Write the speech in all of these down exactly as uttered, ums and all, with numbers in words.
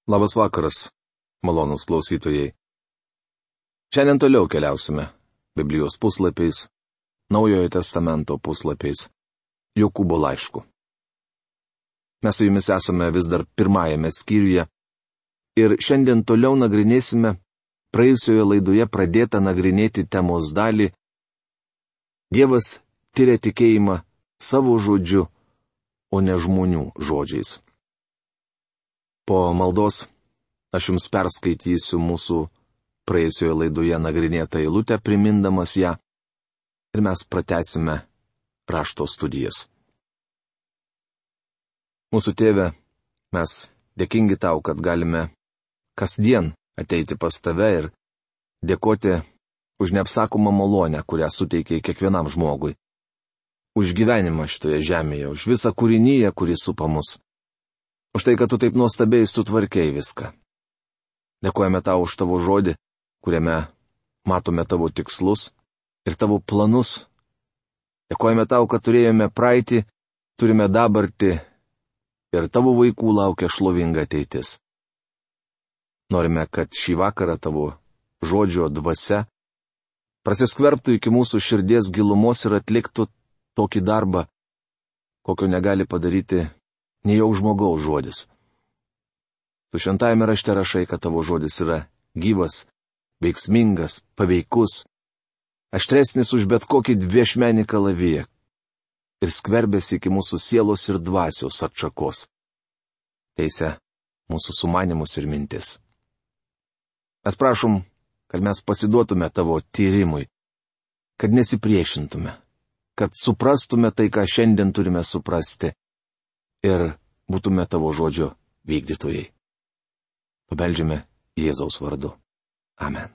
Labas vakaras, malonus klausytojai. Šiandien toliau keliausime Biblijos puslapiais, Naujojo testamento puslapiais, Jokūbo laišku. Mes su jumis esame vis dar pirmajame skyriuje ir šiandien toliau nagrinėsime praėjusioje laidoje pradėtą nagrinėti temos dalį Dievas tyria tikėjimą savo žodžiu, o ne žmonių žodžiais. Po maldos aš jums perskaitysiu mūsų praėjusioje laidoje nagrinėtą eilutę, primindamas ją, ir mes pratęsime rašto studijas. Mūsų tėve, mes dėkingi tau, kad galime kasdien ateiti pas tave ir dėkoti už neapsakomą malonę, kurią suteikiai kiekvienam žmogui. Už gyvenimą šitoje žemėje, už visą kūrinyje, kuri supa mus. Už tai, kad tu taip nuostabiai sutvarkei viską. Dėkojame tau už tavo žodį, kuriame matome tavo tikslus ir tavo planus. Dėkojame tau, kad turėjome praeitį, turime dabartį ir tavo vaikų laukia šlovinga ateitis. Norime, kad šį vakarą tavo žodžio dvasia prasiskverbtų iki mūsų širdies gilumos ir atliktų tokį darbą, kokio negali padaryti nei jau žmogaus žodis. Tu šventajame rašte rašai, kad tavo žodis yra gyvas, veiksmingas, paveikus, aštresnis už bet kokį dviešmenį kalaviją ir skverbėsi iki mūsų sielos ir dvasios atšakos. Teisia mūsų sumanimus ir mintis. Mes prašom, kad mes pasiduotume tavo tyrimui, kad nesipriešintume, kad suprastume tai, ką šiandien turime suprasti ir būtume tavo žodžio vykdytojai. Pabeldžiame Jėzaus vardu. Amen.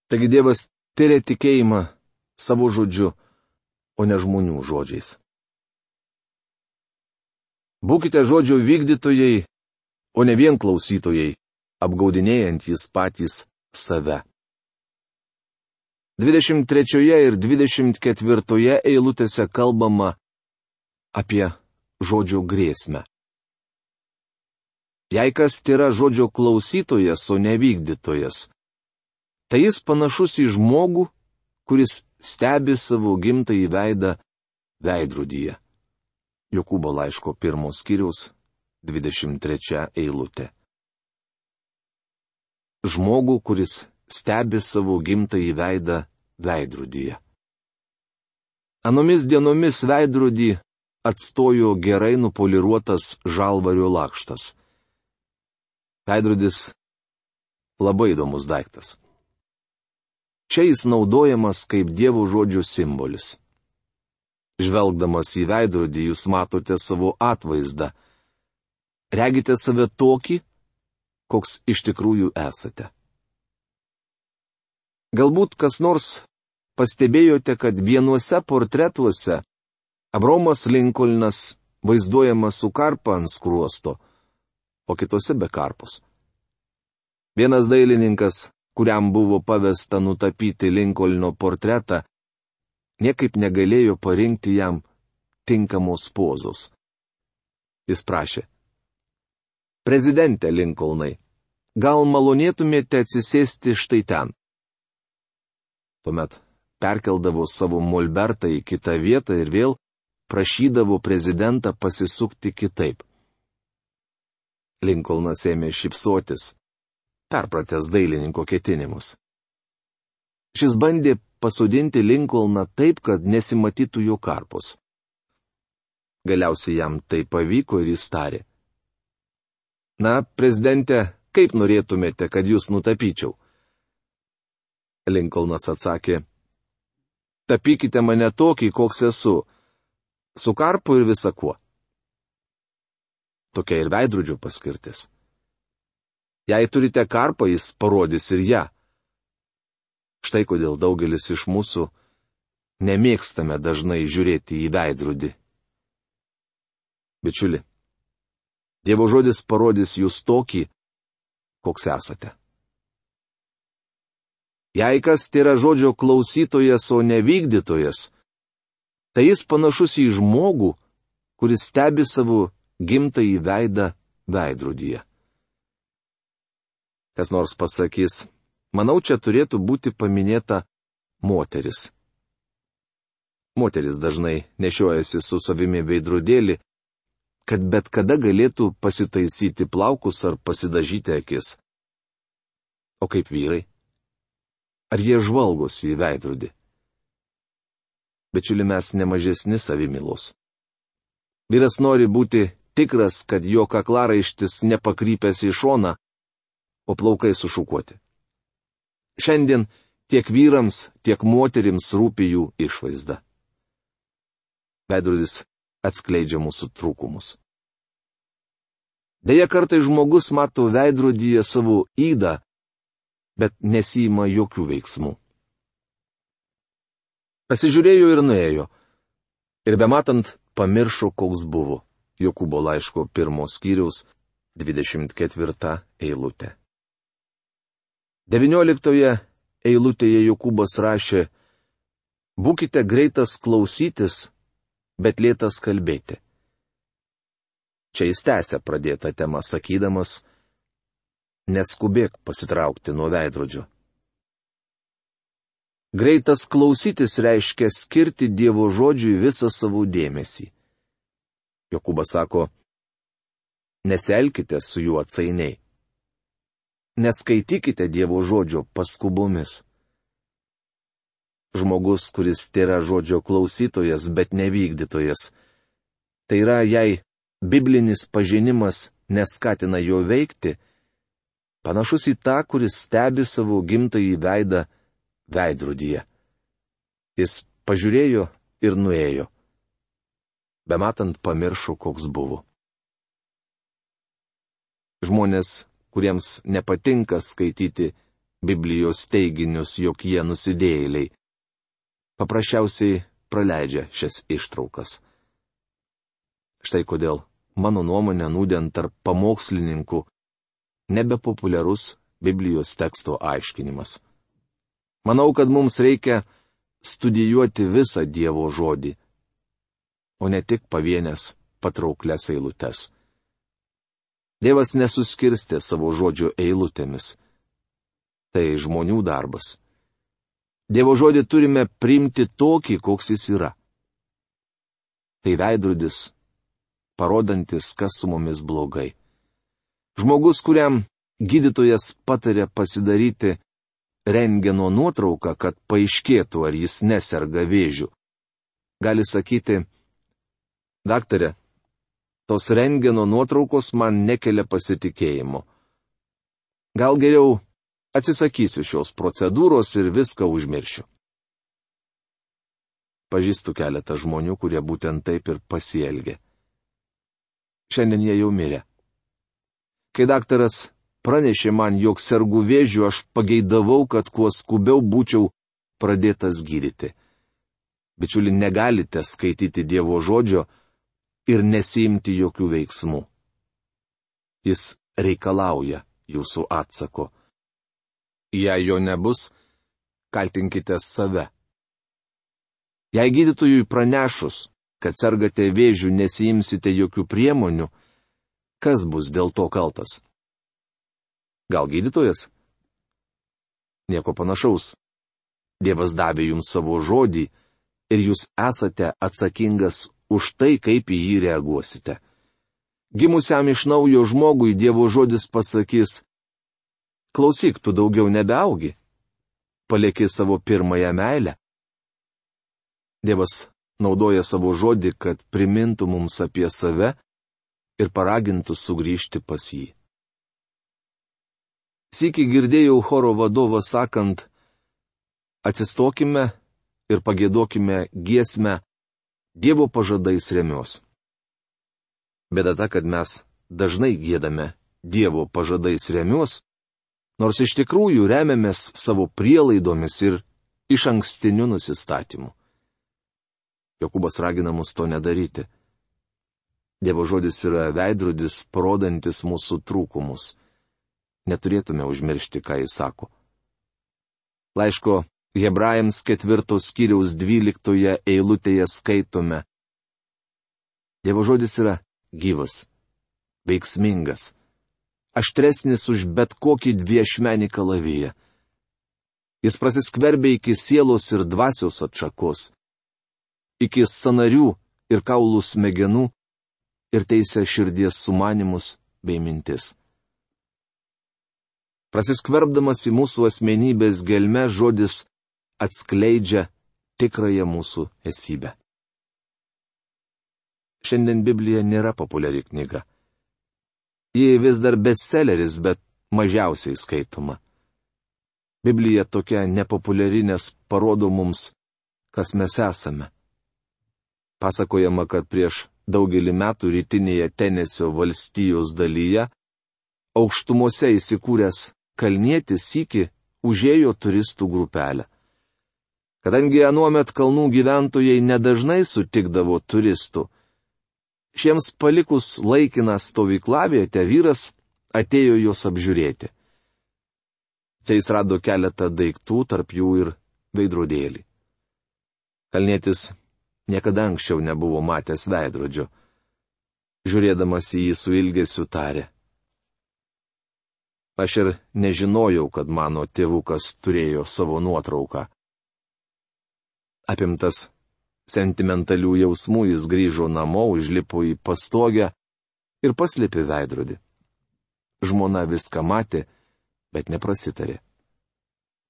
Taigi Dievas tyria tikėjimą savo žodžiu, o ne žmonių žodžiais. Būkite žodžio vykdytojai, o ne vien klausytojai, apgaudinėjantys patys save. dvidešimt trečioje ir dvidešimt ketvirtoje eilutėse kalbama apie žodžio grėsmę. Jei kas yra žodžio klausytojas, o ne vykdytojas, tai jis panašus į žmogų, kuris stebi savo gimtąjį veidą veidrodyje. Jokūbo laiško pirmos skyriaus dvidešimt trečia eilutė. Žmogų, kuris stebi savo gimtąjį veidą veidrodyje. Anomis dienomis veidrodį atstojo gerai nupoliruotas žalvario lakštas. Veidrodis labai įdomus daiktas. Čia jis naudojamas kaip Dievo žodžio simbolis. Žvelgdamas į veidrodį jūs matote savo atvaizdą. Regite save tokį, koks iš tikrųjų esate. Galbūt kas nors pastebėjote, kad vienuose portretuose Abraomas Linkolnas vaizduojamas su karpa ant skruosto, o kitose be karpos. Vienas dailininkas, kuriam buvo pavesta nutapyti Linkolno portretą, niekaip negalėjo parinkti jam tinkamos pozos. Jis prašė: Prezidente Linkolnai, gal malonėtumėte atsisėsti štai ten? Tuomet perkeldavo savo molbertą į kitą vietą ir vėl prašydavo prezidentą pasisukti kitaip. Linkolnas ėmė šypsotis, perpratęs dailininko ketinimus. Šis bandė pasodinti Linkolną taip, kad nesimatytų jo karpos. Galiausiai jam tai pavyko ir jis tarė: Na, prezidente, kaip norėtumėte, kad jūs nutapyčiau? Linkolnas atsakė: Tapykite mane tokį, koks esu, su karpu ir visa kuo. Tokia ir veidrodžio paskirtis. Jei turite karpą, jis parodys ir ją. Štai kodėl daugelis iš mūsų nemėgstame dažnai žiūrėti į veidrodį. Bičiuli, Dievo žodis parodys jūs tokį, koks esate. Jei kas yra žodžio klausytojas, o ne vykdytojas, tai jis panašus į žmogų, kuris stebi savo gimtąjį veidą veidrodyje. Kas nors pasakys, manau, čia turėtų būti paminėta moteris. Moteris dažnai nešiojasi su savimi veidrodėlį, kad bet kada galėtų pasitaisyti plaukus ar pasidažyti akis. O kaip vyrai? Ar jie žvalgosi į veidrodį? Bičiuli, mes nemažesni savimilos. Vyras nori būti tikras, kad jo kaklaraištis nepakrypęs į šoną, o plaukai sušukuoti. Šiandien tiek vyrams, tiek moterims rūpi jų išvaizda. Veidrodis atskleidžia mūsų trūkumus. Deja, kartais žmogus mato veidrodyje savo ydą, bet nesima jokių veiksmų. Pasižiūrėjo ir nuėjo, ir bematant pamiršo, koks buvo. Jokūbo laiško pirmos skyriaus dvidešimt ketvirta eilutė. devynioliktoje eilutėje Jokūbas rašė: būkite greitas klausytis, bet lėtas kalbėti. Čia jis tęsia pradėtą temą sakydamas: neskubėk pasitraukti nuo veidrodžio. Greitas klausytis reiškia skirti Dievo žodžiui visą savo dėmesį. Jokūbas sako: nesielkite su juo atsainiai. Neskaitykite Dievo žodžio paskubomis. Žmogus, kuris tėra žodžio klausytojas, bet nevykdytojas, tai yra, jei biblinis pažinimas neskatina jo veikti, panašus į tą, kuris stebi savo gimtąjį veidą veidrodyje. Jis pažiūrėjo ir nuėjo. Bematant pamiršo, koks buvo. Žmonės, kuriems nepatinka skaityti Biblijos teiginius, jog jie nusidėjėliai, paprasčiausiai praleidžia šias ištraukas. Štai kodėl, mano nuomonė, nūdien tarp pamokslininkų nebepopuliarus Biblijos teksto aiškinimas. Manau, kad mums reikia studijuoti visą Dievo žodį, o ne tik pavienės patrauklias eilutes. Dievas nesuskirstė savo žodžio eilutėmis. Tai žmonių darbas. Dievo žodį turime priimti tokį, koks jis yra. Tai veidrodis, parodantis, kas su mumis blogai. Žmogus, kuriam gydytojas patarė pasidaryti rentgeno nuotrauką, kad paaiškėtų, ar jis neserga vėžiu, gali sakyti: daktare, tos rentgeno nuotraukos man nekelia pasitikėjimo. Gal geriau atsisakysiu šios procedūros ir viską užmiršiu. Pažįstu keletą žmonių, kurie būtent taip ir pasielgė. Šiandien jie jau mirė. Kai daktaras pranešė man, jog sergu vėžiu, aš pageidavau, kad kuo skubiau būčiau pradėtas gydyti. Bičiuli, negalite skaityti Dievo žodžio ir nesiimti jokių veiksmų. Jis reikalauja jūsų atsako. Jei jo nebus, kaltinkite save. Jei gydytojui pranešus, kad sergate vėžiu, nesiimsite jokių priemonių, kas bus dėl to kaltas? Gal gydytojas? Nieko panašaus. Dievas davė jums savo žodį ir jūs esate atsakingas už tai, kaip į jį reaguosite. Gimusiam iš naujo žmogui Dievo žodis pasakys: klausyk, tu daugiau nebeaugi. Palieki savo pirmąją meilę. Dievas naudoja savo žodį, kad primintų mums apie save ir paragintų sugrįžti pas jį. Sykį girdėjau choro vadovą sakant: atsistokime ir pagėdokime giesmę Dievo pažadais remiuos. Bėda ta, kad mes dažnai giedame Dievo pažadais remiuos, nors iš tikrųjų remiamės savo prielaidomis ir išankstiniu nusistatymu. Jokūbas ragina mus to nedaryti. Dievo žodis yra veidrodis, parodantis mūsų trūkumus. Neturėtume užmiršti, ką jis sako. Laiško Hebrajams ketvirtos skyriaus dvyliktoje eilutėje skaitome: Dievo žodis yra gyvas, veiksmingas, aštresnis už bet kokį dviešmenį kalaviją. Jis prasiskverbia iki sielos ir dvasios atšakos, iki sanarių ir kaulų smegenų ir teisia širdies sumanimus bei mintis. Prasiskverbdamas į mūsų asmenybės gelmę žodis atskleidžia tikrąją mūsų esybę. Šiandien Biblija nėra populiari knyga. Ji vis dar bestselleris, bet mažiausiai skaitoma. Biblija tokia nepopuliari, nes parodo mums, kas mes esame. Pasakojama, kad prieš daugelį metų rytinėje Tenesio valstijos dalyje aukštumose įsikūręs kalnietis sykį užėjo turistų grupelę. Kadangi anuomet kalnų gyventojai nedažnai sutikdavo turistų, šiems palikus laikiną stovyklavietę vyras atėjo jos apžiūrėti. Čia jis rado keletą daiktų, tarp jų ir veidrodėlį. Kalnietis niekada anksčiau nebuvo matęs veidrodžio. Žiūrėdamas į jį su ilgesiu tarė: Aš ir nežinojau, kad mano tėvukas turėjo savo nuotrauką. Apimtas sentimentalių jausmų jis grįžo namo, užlipo į pastogę ir paslėpė veidrodį. Žmona viską matė, bet neprasitarė.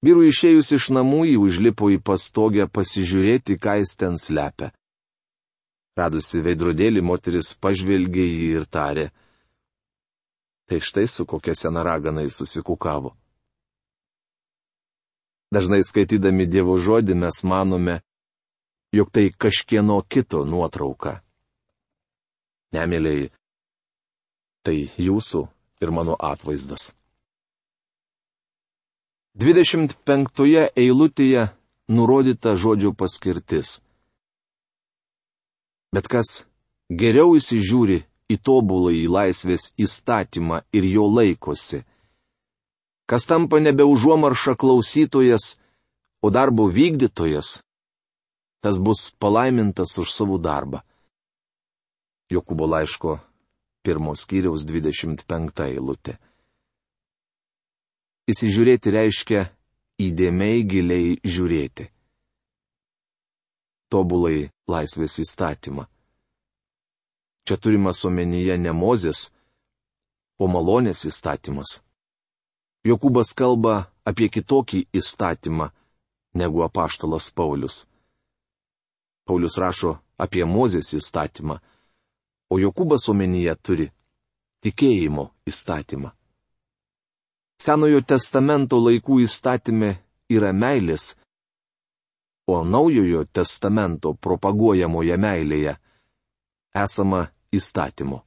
Vyrui išėjus iš namų jį užlipo į pastogę pasižiūrėti, ką jis ten slepia. Radusi veidrodėlį, moteris pažvelgė jį ir tarė: Tai štai su kokia sena ragana jis susikukavo. Dažnai skaitydami Dievo žodį mes manome, jog tai kažkieno kito nuotrauka. Ne, mielieji, tai jūsų ir mano atvaizdas. dvidešimt penktoje eilutėje nurodyta žodžio paskirtis. Bet kas geriau įsižiūri į tobuląjį laisvės įstatymą ir jo laikosi, kas tampa nebe užuomarša klausytojas, o darbo vykdytojas, tas bus palaimintas už savo darbą. Jokūbo laiško pirmos skyriaus dvidešimt penkta eilutė. Įsižiūrėti reiškia įdėmiai giliai žiūrėti. Tobulai laisvės įstatymą. Čia turimas omenyje ne Mozės, o malonės įstatymas. Jokūbas kalba apie kitokį įstatymą negu apaštalas Paulius. Paulius rašo apie Mozės įstatymą, o Jokūbas omenyje turi tikėjimo įstatymą. Senojo testamento laikų įstatyme yra meilės, o naujojo testamento propaguojamoje meilėje esama įstatymo.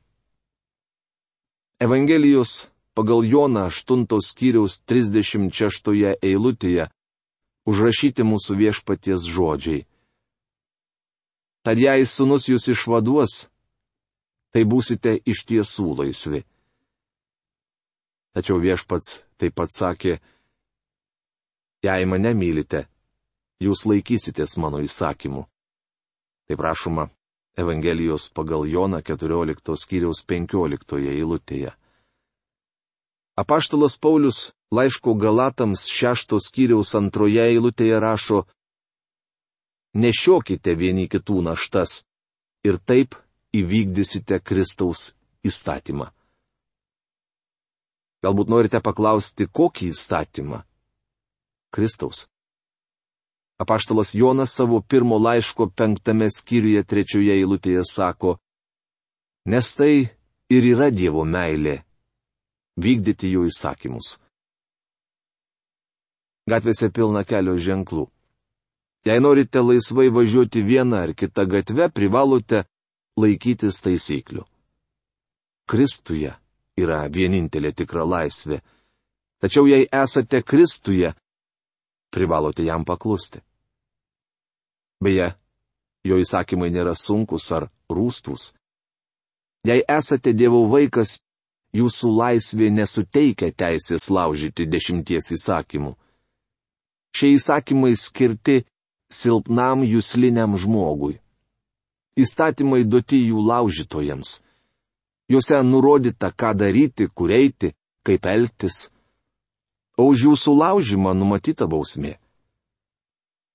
Evangelijos pagal Joną aštuntos skyriaus trisdešimt šeštoje eilutėje užrašyti mūsų viešpaties žodžiai. Tad jei sūnus jūs išvaduos, tai būsite iš tiesų laisvi. Tačiau viešpats taip pat sakė: Jei mane mylite, jūs laikysitės mano įsakymų. Taip rašoma Evangelijos pagal Joną keturioliktos skyriaus penkioliktoje eilutėje. Apaštalas Paulius laiško Galatams šeštos skyriaus antroje eilutėje rašo: Nešiokite vieni kitų naštas ir taip įvykdysite Kristaus įstatymą. Galbūt norite paklausti, kokį įstatymą? Kristaus. Apaštalas Jonas savo pirmo laiško penktame skyriuje trečioje eilutėje sako: Nes tai ir yra Dievo meilė - vykdyti jo įsakymus. Gatvėse pilna kelio ženklų. Jei norite laisvai važiuoti vieną ar kitą gatvę, privalote laikytis taisyklių. Kristuje yra vienintelė tikra laisvė. Tačiau jei esate Kristuje, privalote jam paklusti. Beje, jo įsakymai nėra sunkus ar rūstūs. Jei esate Dievo vaikas, jūsų laisvė nesuteikia teisės laužyti dešimties įsakymų. Šie įsakymai skirti silpnam jusliniam žmogui. Įstatymai duoti jų laužytojams. Juose nurodyta, ką daryti, kur eiti, kaip elgtis, o už jų sulaužymą numatyta bausmė.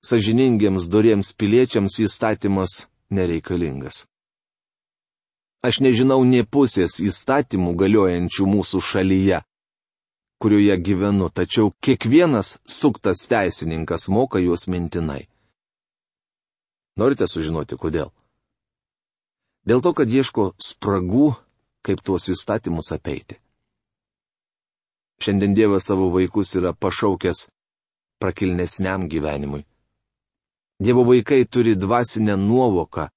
Sąžiningiems doriems piliečiams įstatymas nereikalingas. Aš nežinau nė pusės įstatymų galiojančių mūsų šalyje, kurioje gyvenu, tačiau kiekvienas suktas teisininkas moka juos mintinai. Norite sužinoti, kodėl? Dėl to, kad ieško spragų, kaip tuos įstatymus apeiti. Šiandien Dievas savo vaikus yra pašaukęs prakilnesniam gyvenimui. Dievo vaikai turi dvasinę nuovoką,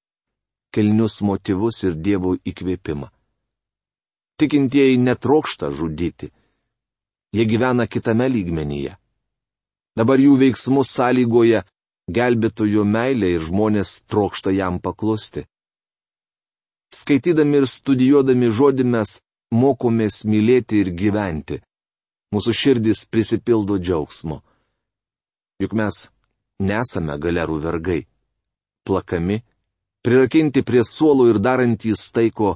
kilnius motyvus ir Dievo įkvėpimą. Tikintieji netrokšta žudyti. Jie gyvena kitame lygmenyje. Dabar jų veiksmus sąlygoja gelbėtojo meilė ir žmonės trokšta jam paklusti. Skaitydami ir studijuodami žodį mes mokomės mylėti ir gyventi. Mūsų širdis prisipildo džiaugsmo. Juk mes nesame galerų vergai. Plakami, prirakinti prie suolų ir darantys tai, ko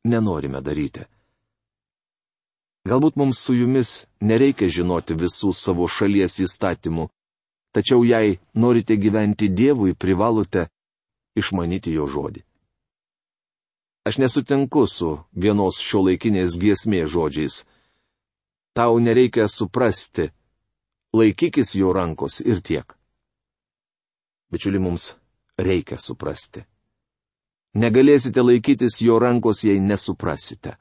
nenorime daryti. Galbūt mums su jumis nereikia žinoti visų savo šalies įstatymų, tačiau jei norite gyventi Dievui, privalote išmanyti jo žodį. Aš nesutinku su vienos šiuolaikinės giesmės žodžiais. Tau nereikia suprasti, laikykis jo rankos ir tiek. Bičiuli, mums reikia suprasti. Negalėsite laikytis jo rankos, jei nesuprasite.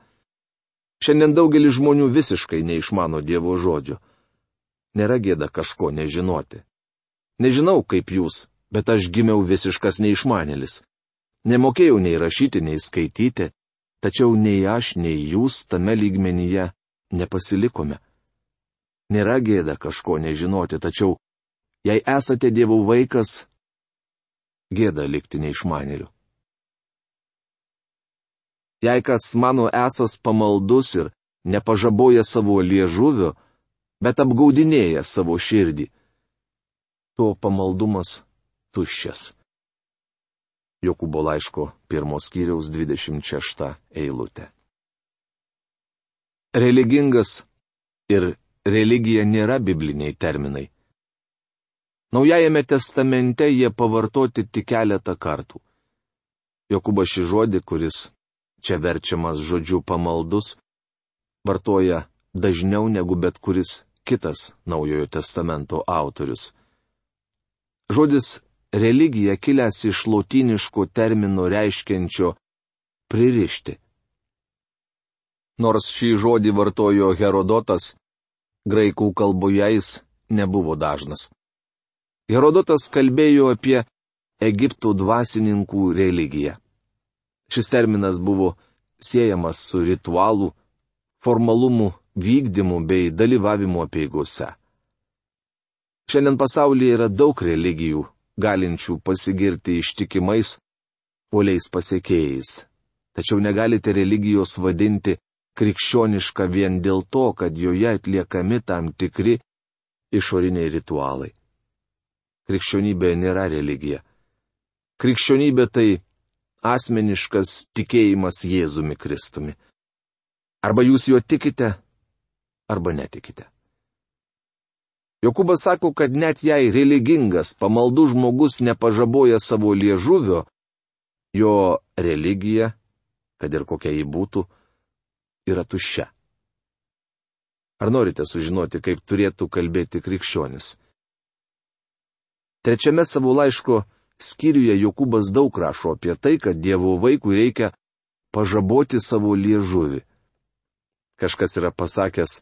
Šiandien daugelis žmonių visiškai neišmano Dievo žodžio. Nėra gėda kažko nežinoti. Nežinau, kaip jūs, bet aš gimiau visiškas neišmanėlis. Nemokėjau nei rašyti, nei skaityti, tačiau nei aš, nei jūs tame lygmenyje nepasilikome. Nėra gėda kažko nežinoti, tačiau jei esate Dievo vaikas, gėda likti neišmanėliu. Jei kas mano esas pamaldus ir nepažaboja savo liežuvio, bet apgaudinėja savo širdį, to pamaldumas tuščias. Jokūbo laiško pirmos skyriaus dvidešimt šešta eilutė. Religingas ir religija nėra bibliniai terminai. Naujajame testamente jie pavartoti tik keletą kartų. Jokūbas šį žodį, kuris čia verčiamas žodžiu pamaldus, vartoja dažniau negu bet kuris kitas Naujojo testamento autorius. Žodis religija kilęs iš lotyniško termino reiškiančio pririšti. Nors šį žodį vartojo Herodotas, graikų kalboje jis nebuvo dažnas. Herodotas kalbėjo apie Egipto dvasininkų religiją. Šis terminas buvo siejamas su ritualų, formalumų vykdymu bei dalyvavimu apeigose. Šiandien pasaulyje yra daug religijų, galinčių pasigirti ištikimais, uoliais pasiekėjais. Tačiau negalite religijos vadinti krikščioniška vien dėl to, kad joje atliekami tam tikri išoriniai ritualai. Krikščionybė nėra religija. Krikščionybė tai asmeniškas tikėjimas Jėzumi Kristumi. Arba jūs juo tikite, arba netikite. Jokūbas sako, kad net jei religingas, pamaldus žmogus nepažaboja savo liežuvio, jo religija, kad ir kokia ji būtų, yra tuščia. Ar norite sužinoti, kaip turėtų kalbėti krikščionis? Trečiame savo laiško skyriuje Jokūbas daug rašo apie tai, kad Dievo vaikui reikia pažaboti savo liežuvį. Kažkas yra pasakęs,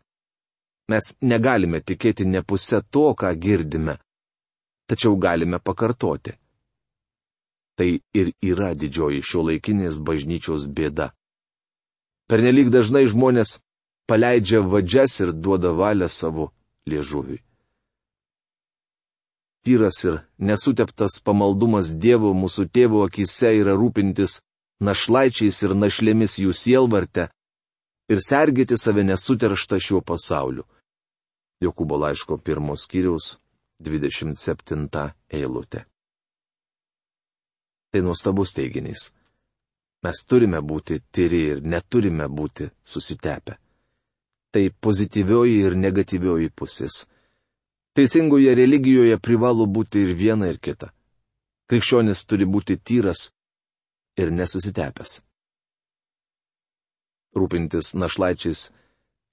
mes negalime tikėti ne pusę to, ką girdime, tačiau galime pakartoti. Tai ir yra didžioji šiuolaikinės bažnyčios bėda. Pernelyg dažnai žmonės paleidžia vadžias ir duoda valią savo liežuviui. Tyras ir nesuteptas pamaldumas Dievo mūsų tėvo akise yra rūpintis našlaičiais ir našlėmis jų sielvarte ir sergėti save nesuterštą šiuo pasauliu. Jokūbo laiško pirmos skyriaus dvidešimt septinta eilutė. Tai nuostabus teiginys. Mes turime būti tyri ir neturime būti susitepę. Tai pozityvioji ir negatyvioji pusės. Teisingoje religijoje privalo būti ir viena, ir kita. Krikščionis turi būti tyras ir nesusitepęs. Rūpintis našlaičiais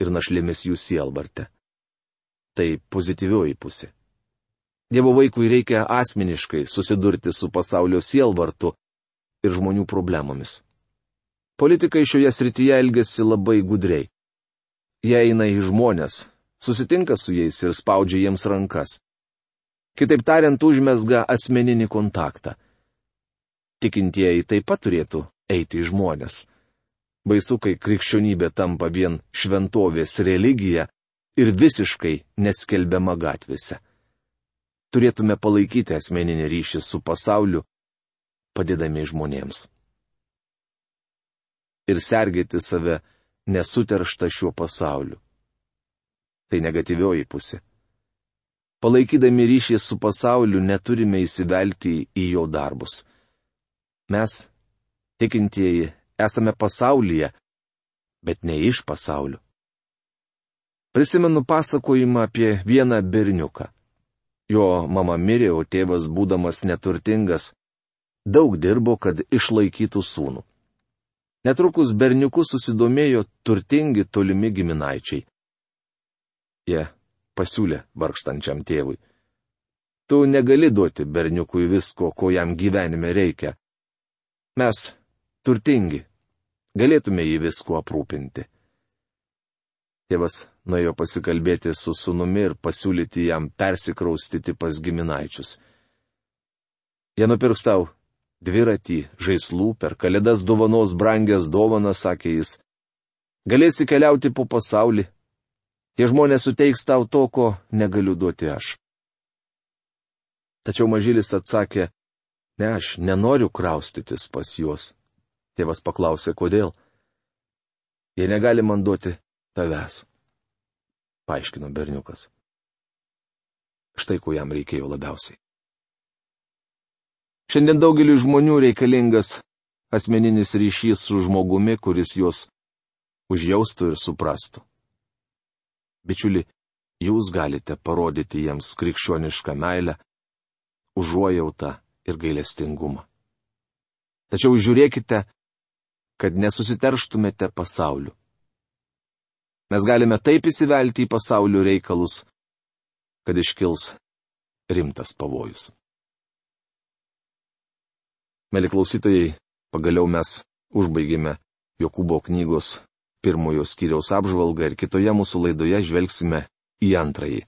ir našlėmis jų sielvarte. Tai pozityvioji pusė. Dievo vaikui reikia asmeniškai susidurti su pasaulio sielvartu ir žmonių problemomis. Politikai šioje srityje elgiasi labai gudriai. Jie eina į žmonės, susitinka su jais ir spaudžia jiems rankas. Kitaip tariant, užmezga asmeninį kontaktą. Tikintieji taip pat turėtų eiti į žmonės. Baisu, kai krikščionybė tampa vien šventovės religija ir visiškai neskelbiama gatvėse. Turėtume palaikyti asmeninį ryšį su pasauliu, padėdami žmonėms. Ir sergėti save nesuterštą šiuo pasauliu. Tai negatyvioji pusė. Palaikydami ryšį su pasauliu neturime įsivelti į jo darbus. Mes, tikintieji, esame pasaulyje, bet ne iš pasaulio. Prisimenu pasakojimą apie vieną berniuką. Jo mama mirė, o tėvas, būdamas neturtingas, daug dirbo, kad išlaikytų sūnų. Netrukus berniuku susidomėjo turtingi tolimi giminaičiai. Jie pasiūlė vargstančiam tėvui: tu negali duoti berniukui visko, ko jam gyvenime reikia. Mes, turtingi, galėtume jį visko aprūpinti. Tėvas nuėjo pasikalbėti su sūnumi ir pasiūlyti jam persikraustyti pas giminaičius. Jie nupirks tau dviratį, žaislų, per kalėdas dovanos brangias dovanas, sakė jis. Galėsi keliauti po pasaulį. Tie žmonės suteiks tau to, ko negaliu duoti aš. Tačiau mažylis atsakė: ne, aš nenoriu kraustytis pas juos. Tėvas paklausė, kodėl. Jie negali man duoti tavęs, paaiškino berniukas. Štai ko jam reikėjo labiausiai. Šiandien daugeliu žmonių reikalingas asmeninis ryšys su žmogumi, kuris juos užjaustų ir suprastų. Bičiuli, jūs galite parodyti jiems krikščionišką meilę, užuojautą ir gailestingumą. Tačiau žiūrėkite, kad nesusiterštumėte pasauliu. Mes galime taip įsivelti į pasaulio reikalus, kad iškils rimtas pavojus. Mėly klausytojai, pagaliau mes užbaigėme Jokūbo knygos pirmojo skyriaus apžvalgą ir kitoje mūsų laidoje žvelgsime į antrąjį.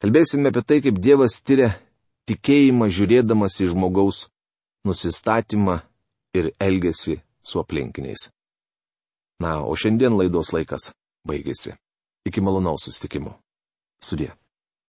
Kalbėsime apie tai, kaip Dievas tyria tikėjimą žiūrėdamas į žmogaus nusistatymą ir elgesį su aplinkiniais. Na, o šiandien laidos laikas baigėsi. Iki malonaus susitikimo. Sudie.